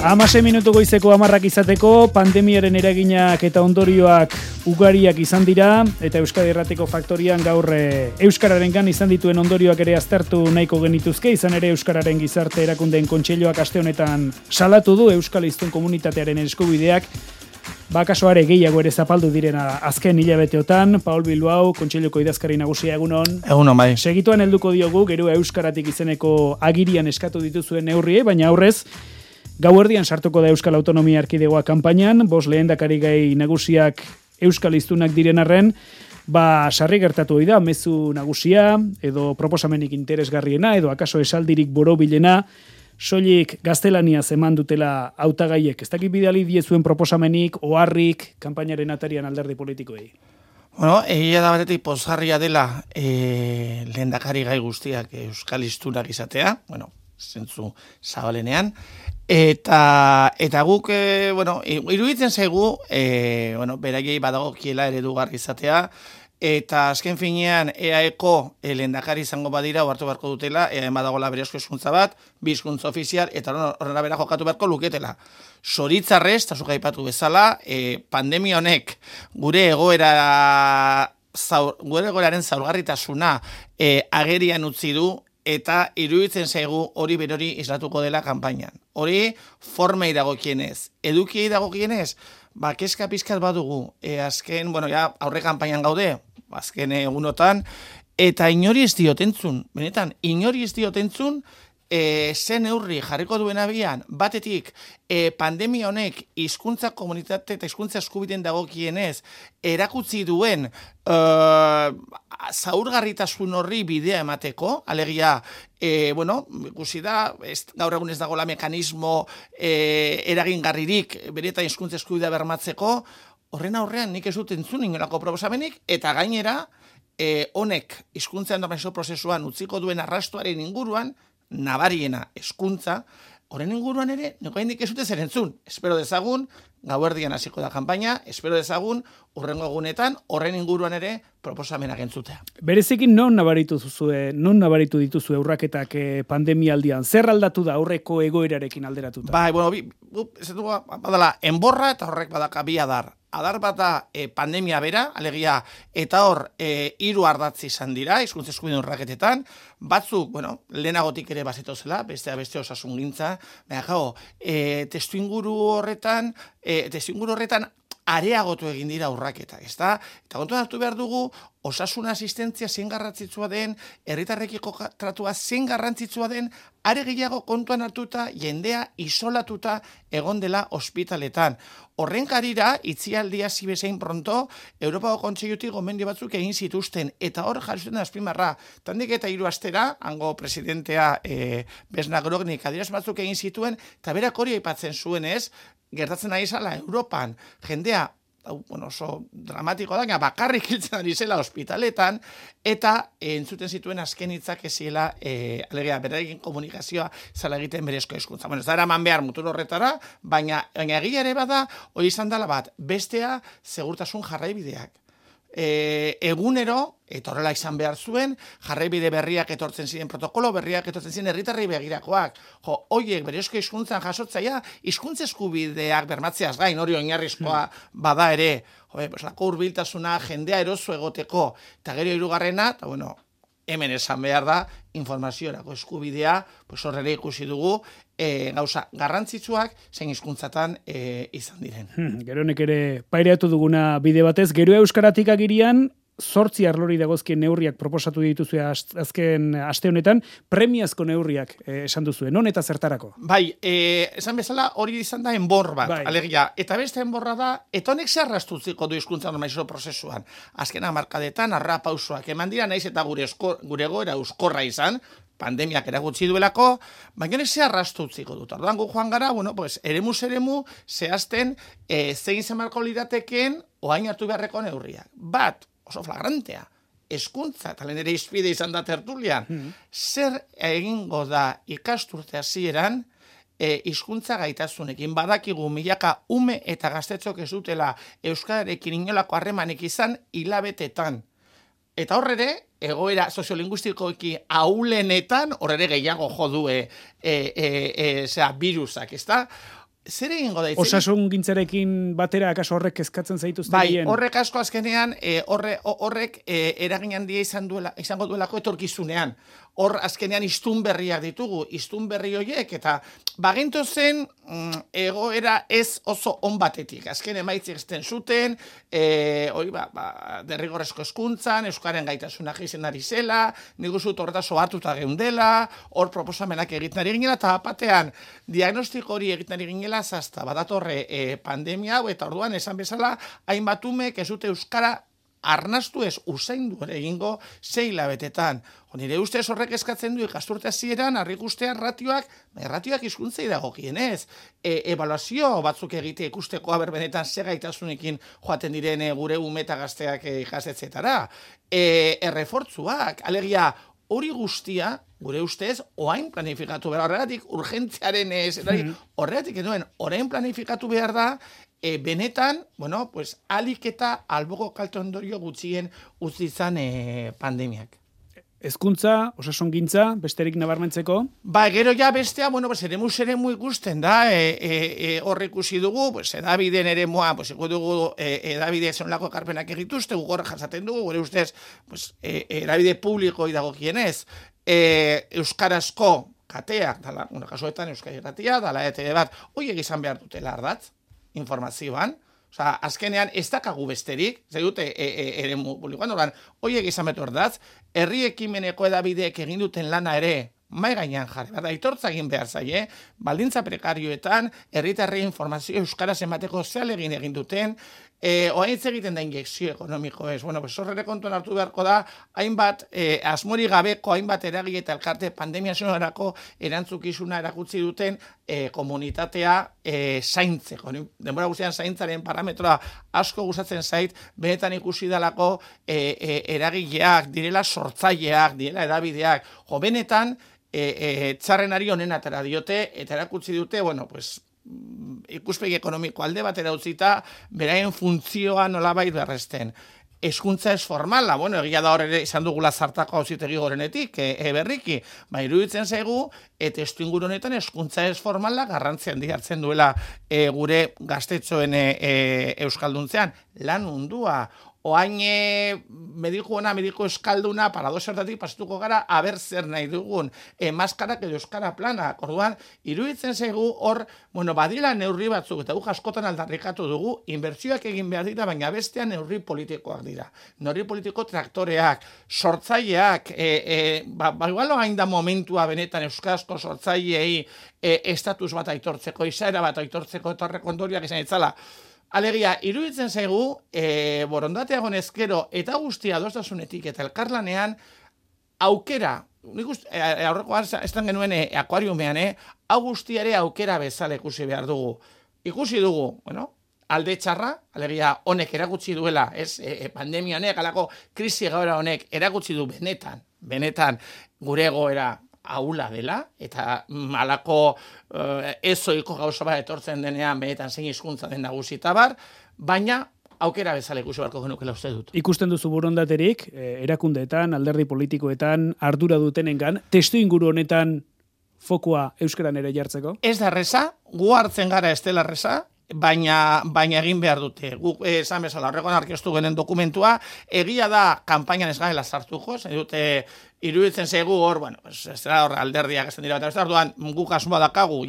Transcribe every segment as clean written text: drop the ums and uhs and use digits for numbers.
16 minutu goizeko 10 izateko, pandemiaren eraginak eta ondorioak ugariak izan dira, eta Euskadi Irratiko Faktorian gaur Euskararengan izan dituen ondorioak ere aztertu nahiko genituzke, izan ere Euskararen Gizarte Erakundeen Kontseiluak aste honetan salatu du Euskal Hiztun komunitatearen eskubideak, kaso are gehiago ere zapaldu direna azken hilabeteotan. Paul Bilbao, Kontseiluko idazkari nagusia, egunon. Egunon, bai. Segituan helduko diogu, gero Euskaratik izeneko agirian eskatu dituzuen neurrie, baina aurrez, gauerdian sartuko da Euskal Autonomia Erkidegoa kanpainan, 5 lehendakari gai nagusiak Euskal Hiztunak diren arren, sarri gertatu da mezu nagusia, edo proposamenik interesgarriena, edo akaso esaldirik borobilena, soilik gaztelaniaz eman dutela hautagaiek. Ez dakit bidali diezuen proposamenik, oharrik, kanpainaren atarian alderdi politikoei. Bueno, egia da batetik pozgarria dela lehendakari gai guztiak Euskal Hiztunak izatea, zentzu zabalenean, eta guk, iruditzen zaigu, beraiei badagokiela eredugarri izatea, eta azken finean EAEko lehendakari izango badira ohartu beharko dutela, EAEan badagoela berezko hizkuntza bat, bi hizkuntza ofizial, eta horrela bera jokatu beharko luketela. Zoritzarrez, eta zuk aipatu bezala, pandemia honek gure egoeraren zaurgarritasuna agerian utzi du, eta iruditzen zaigu hori berori islatuko dela kanpainan. Hori formei dagokienez. Edukiei dagokienez, kezka pizkat badugu. Azken, aurre kanpainan gaude, azken egunotan, eta inori ez diotentzun, benetan, inori ez diotentzun, zen neurri jarriko duen abian, batetik pandemia honek hizkuntza komunitate eta hizkuntza eskubideen dagokienez erakutsi duen zaurgarritasun horri bidea emateko, alegia, ikusi da, gaur egun ez dagoela mekanismo eragingarririk benetan hizkuntza eskubidea bermatzeko, horren aurrean nik ez dut entzun inolako proposamenik, eta gainera, honek hizkuntza normalizazio prozesuan utziko duen arrastoaren inguruan, nabariena hezkuntza, horren inguruan ere, neko hendik ez dute zer entzun. Espero dezagun, gauerdian hasiko da kanpaina, espero dezagun, hurrengo egunetan, horren inguruan ere, proposamenak entzutea. Berezekin non nabaritu dituzue urraketak pandemialdian? Zer aldatu da aurreko egoerarekin alderatuta? Ez dugu, badala, enborra eta horrek badaka bi adar. Adar bat da pandemia bera, alegia, eta hor 3 ardatz izan dira, hizkuntza eskubideen urraketetan, batzuk, lehenagotik ere bazitozela, beste osasungintza, testuinguru horretan areagotu egin dira urraketak, ezta? Eta kontuan hartu behar dugu, osasun asistentzia zein garrantzitsua den, herritarrekiko tratua zein garrantzitsua den, are gehiago kontuan hartuta jendea isolatuta egon dela ospitaletan. Horren karira, itzialdia zibezein pronto, Europako Kontseilutik gomendio batzuk egin zituzten, eta hor jarri da azpimarra. Tandik eta 3 astera, hango presidentea Besna Grognik adierazpen batzuk egin zituen, eta berak hori aipatzen zuenez, gertatzen ari zala Europan, jendea, oso dramatiko da, bakarrik hiltzen ari zela ospitaletan, eta entzuten zituen azken hitzak eziela, alegia, berarekin komunikazioa zala egiten berezko hizkuntza. Ez da eraman behar mutur horretara, baina egia ere bada, hori izan dela bat, bestea segurtasun jarraibideak. Egunero, eta horrela izan behar zuen, jarraibide berriak etortzen ziren, protokolo berriak etortzen ziren herritarrei begirakoak. Hoiek berezko hizkuntzan jasotzaia, hizkuntza eskubideak bermatzeaz gain, hori oinarrizkoa bada ere, lako hurbiltasuna, jendea eroso egoteko, eta gero 3. eta hemen esan behar da, informaziorako eskubidea, horrela ikusi dugu, gauza garrantzitsuak zein hizkuntzatan izan diren. Geronek ere paireatu duguna bide batez, gero euskaratik agirian, 8 arlori dagozkien neurriak proposatu dituzue azken aste honetan, premiazko neurriak esan duzue, non eta zertarako? Esan bezala hori izan da enbor bat, alegia, eta beste enborra da, eta honek zerrastutziko du hizkuntza normalizazio prozesuan. Azken hamarkadetan, pausoak eman dira, naiz eta gure egoera euskorra izan, pandemiak eragutzi duelako, baina honek zerrastu utziko dut. Orduan gu joan gara, eremuz eremu, zehazten, zein zemarko liratekeen, oain hartu beharreko neurriak. Bat, oso flagrantea, hezkuntza, eta lehen ere izpide izan da tertulian, zer egingo da ikasturte hasieran hizkuntza gaitasunekin. Badakigu milaka ume eta gaztetzok ez dutela euskararekin inolako harremanik izan hilabetetan. Eta horrere, egoera soziolinguistikoki ahulenetan, horrere gehiago jo du virusak, ezta? zer egingo da? Osasun gintzarekin batera akaso horrek kezkatzen zaituzte Bai, gehien? horrek asko azkenean, horrek eragin handia izango duelako etorkizunean. Hor azkenean iztun berriak ditugu, iztun berri horiek, eta baginto zen egoera ez oso on batetik. Azken emaitzik ezten zuten, derrigorrezko hezkuntzan, euskaren gaitasuna jaisen ari zela, nik uste dut horretaz ohartuta geundela, hor proposamenak egiten ari ginela, eta batean diagnostiko hori egiten ari ginela, zazta badatorre pandemia hau, eta orduan esan bezala, hainbat umek ez dute euskara arnastu ez usaindu ere egingo 6 hilabetetan. Nire ustez horrek eskatzen du ikasturte hasieran harrikustea ratioak hizkuntzei dagokienez. Ebaluazio batzuk egite ikusteko aber benetan ze gaitasunekin joaten diren gure ume eta gazteak ikastetxeetara. Errefortzuak, alegia hori guztia, gure ustez, oain planifikatu behar. Horregatik urgentziaren horregatik genuen, orain planifikatu behar da, benetan, alik eta alboko kalte ondorio gutxien utzi izan pandemiak. Hezkuntza, osasungintza, besterik nabarmentzeko? Gero ja bestea, eremu ikusten da, hor ikusi dugu, edabideen eremua, dugu edabide zonlako ekarpenak egituzte, gugorra jasaten dugu, gure ustez, edabide publikoi dagokienez, euskarazko kateak, kasuetan euskara irratia, dala ETV bat, horiek izan behar dutela ardatz, informazioan, azkenean ez dakagu besterik, dute eremu publikoan, horiek izan betu ardatz, herri ekimeneko edabideek egin duten lana ere, mai gainean jarri, aitortza egin behar zaie, baldintza prekarioetan, herritarrei informazio euskaraz emateko zealegin egin duten, oaitz egiten da injekzio ekonomiko ez. Horrere kontuan hartu beharko da, hainbat, asmori gabeko, hainbat eragile eta elkarte pandemia zonarako erantzukizuna erakutsi duten komunitatea zaintzeko. Denbora guztian zaintzaren parametroa asko gustatzen zait, benetan ikusi dalako eragileak, direla sortzaileak, direla edabideak, benetan txarrenari honen atera diote, eta erakutsi dute, ikuspegi ekonomiko alde batera utzita, beraien funtzioa nolabait berresten. Hezkuntza ez formala, egia da hor ere izan dugula zartako auzitegi gorenetik, berriki, iruditzen zaigu, eta testuinguru honetan hezkuntza ez formala garrantzi handia hartzen duela gure gaztetxoen euskalduntzean, lan mundua. Oain mediku eskalduna paradoxertatik pasatuko gara aber zer nahi dugun, maskarak edo euskara plana. Orduan, iruditzen zaigu hor, badila neurri batzuk, eta askotan aldarrikatu dugu, inbertsioak egin behar dira, baina bestean neurri politikoak dira. Neurri politiko traktoreak, sortzaileak, igual hain da momentua benetan euskarazko sortzaileei estatus bat aitortzeko, izaera bat aitortzeko, eta horrek ondorioak izan itzala. Alegia, iruditzen zaigu, borondatea gonezkero eta guztia adostasunetik eta elkarlanean aukera, aurrekoan estan genuen akuariumean, hau guztiare aukera bezala ikusi behar dugu. Ikusi dugu, alde txarra, alegia honek erakutsi duela, pandemia honek, alako krisi egoera honek erakutsi du benetan gure egoera ahula dela, eta alako ezoiko gauza bat etortzen denean benetan zein hizkuntza den nagusita bar, baina aukera bezala ikusi beharko genukela uste dut. Ikusten duzu borondaterik, erakundeetan, alderdi politikoetan, ardura dutenengan, testuinguru honetan fokua euskaran ere jartzeko? Ez da erreza, gu hartzen gara ez dela erreza, baina egin behar dute. Guk esan bezala horrekoan aurkeztu genen dokumentua, egia da kanpainan ez garela sartuko, dute iruditzen zaigu hor, ez da hor alderdiak esan dira, eta orduan guk asmoa dakagu,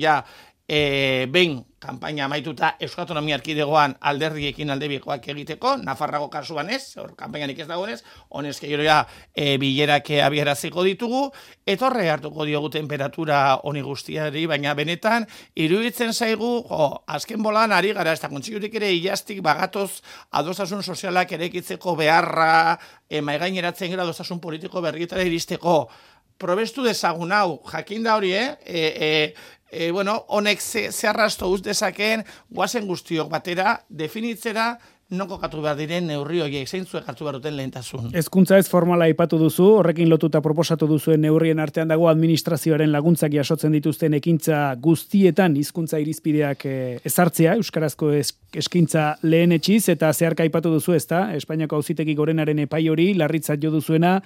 behin kanpaina amaituta Euskal Autonomia Erkidegoan alderdiekin aldebikoak egiteko, Nafarrako kasuan ez, hor kanpaianik ez dagoenez, honezke gero bilerak abieraziko ditugu, eta horre hartuko diogu temperatura honi guztiari, baina benetan, iruditzen zaigu, azken bolan ari gara, ez da kontsigurik ere ilastik bagatoz adostasun sozialak erekitzeko beharra, maigaineratzen gara adostasun politiko berrietara iristeko, probestu dezagun hau, jakin da hori, honek ze arrasto uz dezakeen, guazen guztiok batera, definitzera non kokatu behar diren neurri horiek, zeintzuek hartu behar duten lehentasun. Hezkuntza ez formala aipatu duzu, horrekin lotuta proposatu duzuen neurrien artean dago administrazioaren laguntzak jasotzen dituzten ekintza guztietan hizkuntza irizpideak ezartzea, euskarazko eskaintza lehenetsiz, eta zeharka aipatu duzu, ezta? Espainiako Auzitegi Gorenaren epai hori larritzat jo duzuena,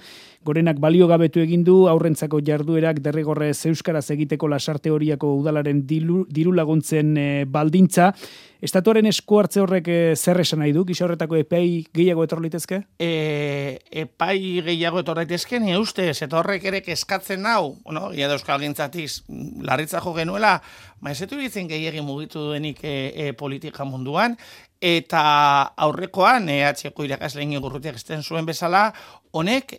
Gorenak baliogabetu egin du aurrentzako jarduerak derrigorrez euskaraz egiteko Lasarte Horiako udalaren diru laguntzen baldintza. Estatuaren esku hartze horrek zer esan nahi du? Gisa horretako epai gehiago etor litezke? Epai gehiago etor litezke, ni ustez, eta horrek ere eskatzen hau, ia da euskal gintzatiz, larritza jo genuela, maezetu ditzen gehiagin mugitu duenik politika munduan, eta aurrekoan, EH-ko irakasleen igurrutiak esten zuen bezala, honek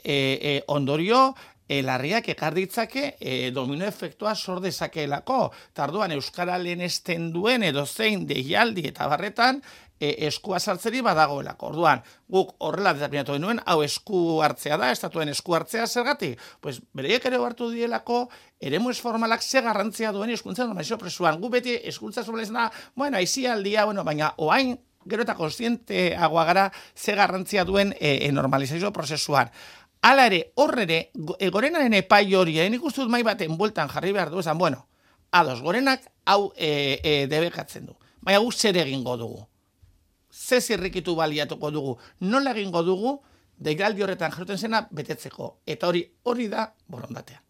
ondorio larriak ekar ditzake domino efektua sor dezakeelako. Tarduan euskara lehenesten duen edo zein deialdi eta barretan eskua sartzeri badagoelako. Orduan, guk horrela determinatu genuen, hau esku hartzea da, estatuen esku hartzea zergatik? Pues bereiek ere hartu dielako, eremu formalak ze garrantzia duen hizkuntza normalizazio prozesuan. Gu beti hizkuntza normalizazioa, aisialdia, baina oain gero eta kontzienteagoa gara ze garrantzia duen normalizazio prozesuan. Hala ere, horrere, Gorenaren epai hori, nik uste dut mai baten bueltan jarri behar du, esan, ados, Gorenak hau debekatzen du. Baina guk zer egingo dugu. Ze zirrikitu baliatuko dugu. Nola egingo dugu, deialdi horretan jarruten zena betetzeko. Eta hori da borondatea.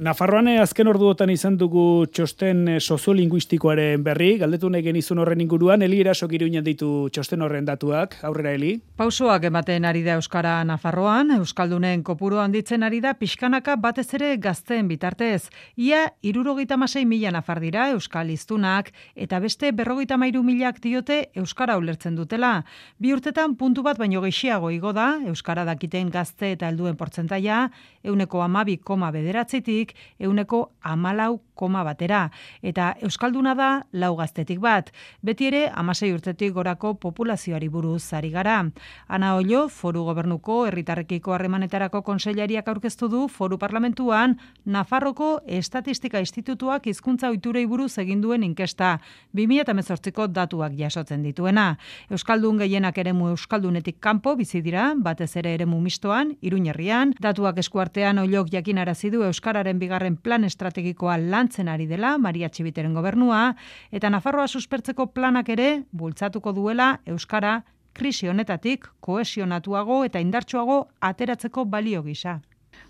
Nafarroan azken orduotan izan dugu txosten soziolinguistikoaren berri, galdetu nahi genizun horren inguruan, Eli Erasok Iruñan ditu txosten horren datuak, aurrera Eli. Pausoak ematen ari da Euskara Nafarroan, Euskaldunen kopuru handitzen ari da pixkanaka batez ere gazteen bitartez. Ia 76.000 nafar dira Euskal hiztunak eta beste 53.000 diote Euskara ulertzen dutela. 2 urtetan puntu bat baino gehiago igo da Euskara dakiten gazte eta helduen portzentaia 12,9 tik 14,1 eta Euskalduna da 4 gaztetik bat. Beti ere 16 urtetik gorako populazioari buruz ari gara. Ana Ollo, Foru Gobernuko Herritarrekiko Harremanetarako Kontseilariak aurkeztu du Foru Parlamentuan Nafarroko Estatistika Institutuak hizkuntza ohiturei buruz egin duen inkesta 2018ko datuak jasotzen dituena. Euskaldun gehienak eremu euskaldunetik kanpo bizi dira, batez ere eremu mistoan, Iruñerrian. Datuak eskuartean Ollok jakinarazi du Euskararen bigarren plan estrategikoa lantzen ari dela Maria Txibiteren gobernua, eta Nafarroa suspertzeko planak ere bultzatuko duela Euskara krisi honetatik kohesionatuago eta indartsuago ateratzeko balio gisa.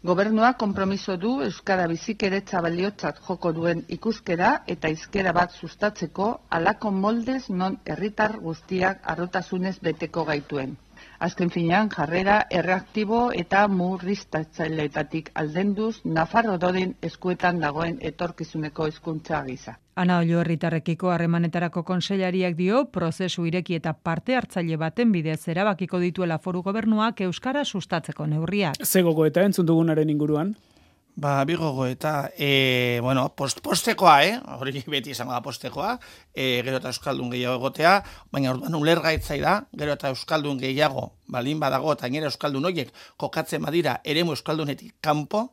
Gobernuak konpromiso du Euskara bizikidetza baliotzat joko duen ikuskera eta hizkera bat sustatzeko halako moldez non herritar guztiak harrotasunez beteko gaituen. Azken finean, jarrera erreaktibo eta murriztatzaileetatik aldenduz Nafarro doden eskuetan dagoen etorkizuneko hizkuntza gisa. Ana Ollo Herritarrekiko Harremanetarako Kontseilariak dio, prozesu ireki eta parte hartzaile baten bidez erabakiko dituela Foru Gobernuak Euskara sustatzeko neurriak. Ze gogoeta entzun dugunaren inguruan? Bi gogoeta, postekoa, hori beti izango da postekoa, gero eta euskaldun gehiago egotea, baina orduan ulergaitzai da, gero eta euskaldun gehiago, balin badago, eta gainera euskaldun horiek kokatzen badira eremu euskaldunetik kanpo,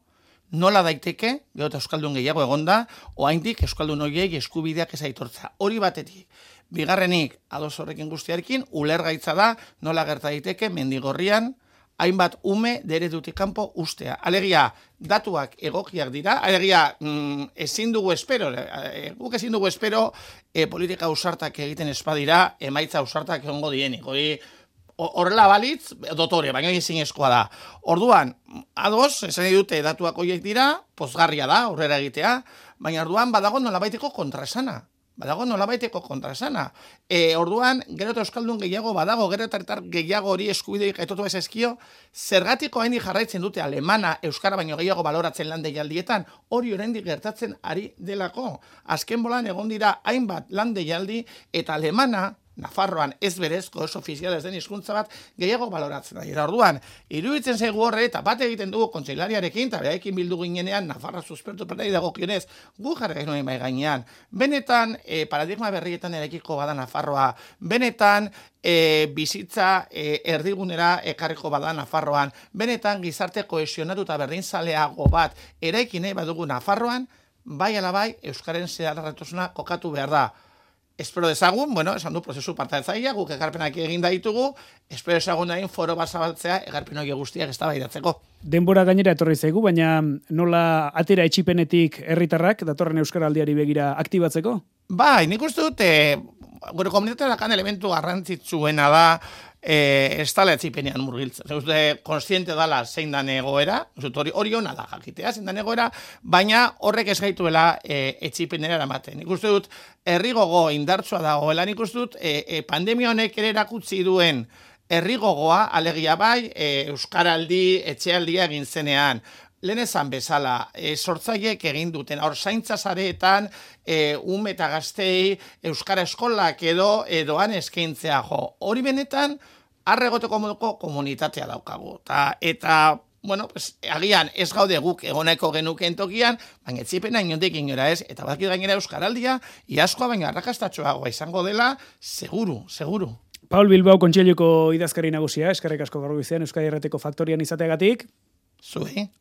nola daiteke, gero eta euskaldun gehiago egonda, oraindik euskaldun horiek eskubideak ez aitortza. Hori batetik. Bigarrenik, ados horrekin guztiarekin, ulergaitza da, nola gerta daiteke Mendigorrian, hainbat ume deredutik kanpo ustea. Alegia, datuak egokiak dira, alegia, ezin dugu espero, guk ezin dugu espero politika ausartak egiten espadira, emaitza ausartak egongo dienik. Horrela balitz, dotore, baina ezin eskoa da. Orduan, ados, esan dute datuak horiek dira, pozgarria da, aurrera egitea, baina orduan badago nolabaiteko kontrasana. Orduan, gero eta euskaldun gehiago badago, gero eta gehiago hori eskubideik aitotu ez ezkio, zergatiko haindik jarraitzen dute alemana euskara baino gehiago baloratzen lan deialdietan, hori oraindik gertatzen ari delako. Azken bolan egon dira hainbat lan deialdi eta alemana, Nafarroan ez berezko, ez ofizialez den hizkuntza bat gehiago baloratzen da. Orduan, iruditzen zaigu horre eta bat egiten dugu kontseilariarekin, eta beraiekin bildu ginenean, Nafarra suspertu planari dagokionez, gu jarri genuen bai gainean. Benetan, paradigma berrietan eraikiko bada Nafarroa, benetan, bizitza erdigunera ekarriko bada Nafarroan, benetan gizarte kohesionatu eta berdinzaleago bat eraiki nahi badugu Nafarroan, bai ala bai, euskaren zeharretasuna kokatu behar da. espero dezagun, esan du prozesu partaitzailea, guk ekarpenak egin ditugu, espero dezagun dain foro bat zabaltzea ekarpen hori guztiak eztabaidatzeko. Denbora gainera etorri zaigu, baina nola atera etxipenetik herritarrak datorren euskaraldiari begira aktibatzeko? Bai, nik uste dut, gure komunitatean elementu garrantzitsuena da, ez dala etxipenean murgiltzen. Uste, konstiente dala zein dan egoera, hori hona da jakitea, zein dan egoera, baina horrek ez gaituela etxipenera eramaten. Nik uste dut, herri gogo indartsua dagoela, nik uste dut, pandemia honek ere erakutsi duen herri gogoa, alegia bai, euskaraldi, etxealdia egin zenean, lehen esan bezala, sortzaiek egin duten, zaintza sareetan, ume eta gaztei, euskara eskolak edoan eskaintzea jo. Hori benetan, arregoteko moduko komunitatea daukagu. Eta agian ez gaude guk egoneko genukeen tokian, baina etxipena inondik inora ez, eta badakit gainera euskaraldia, iaskoa baina arrakastatxoagoa izango dela, seguru. Paul Bilbao kontseiluko idazkari nagusia, eskerrik asko gaur goizean Euskadi Irratiko Faktorian izateagatik. Zuei.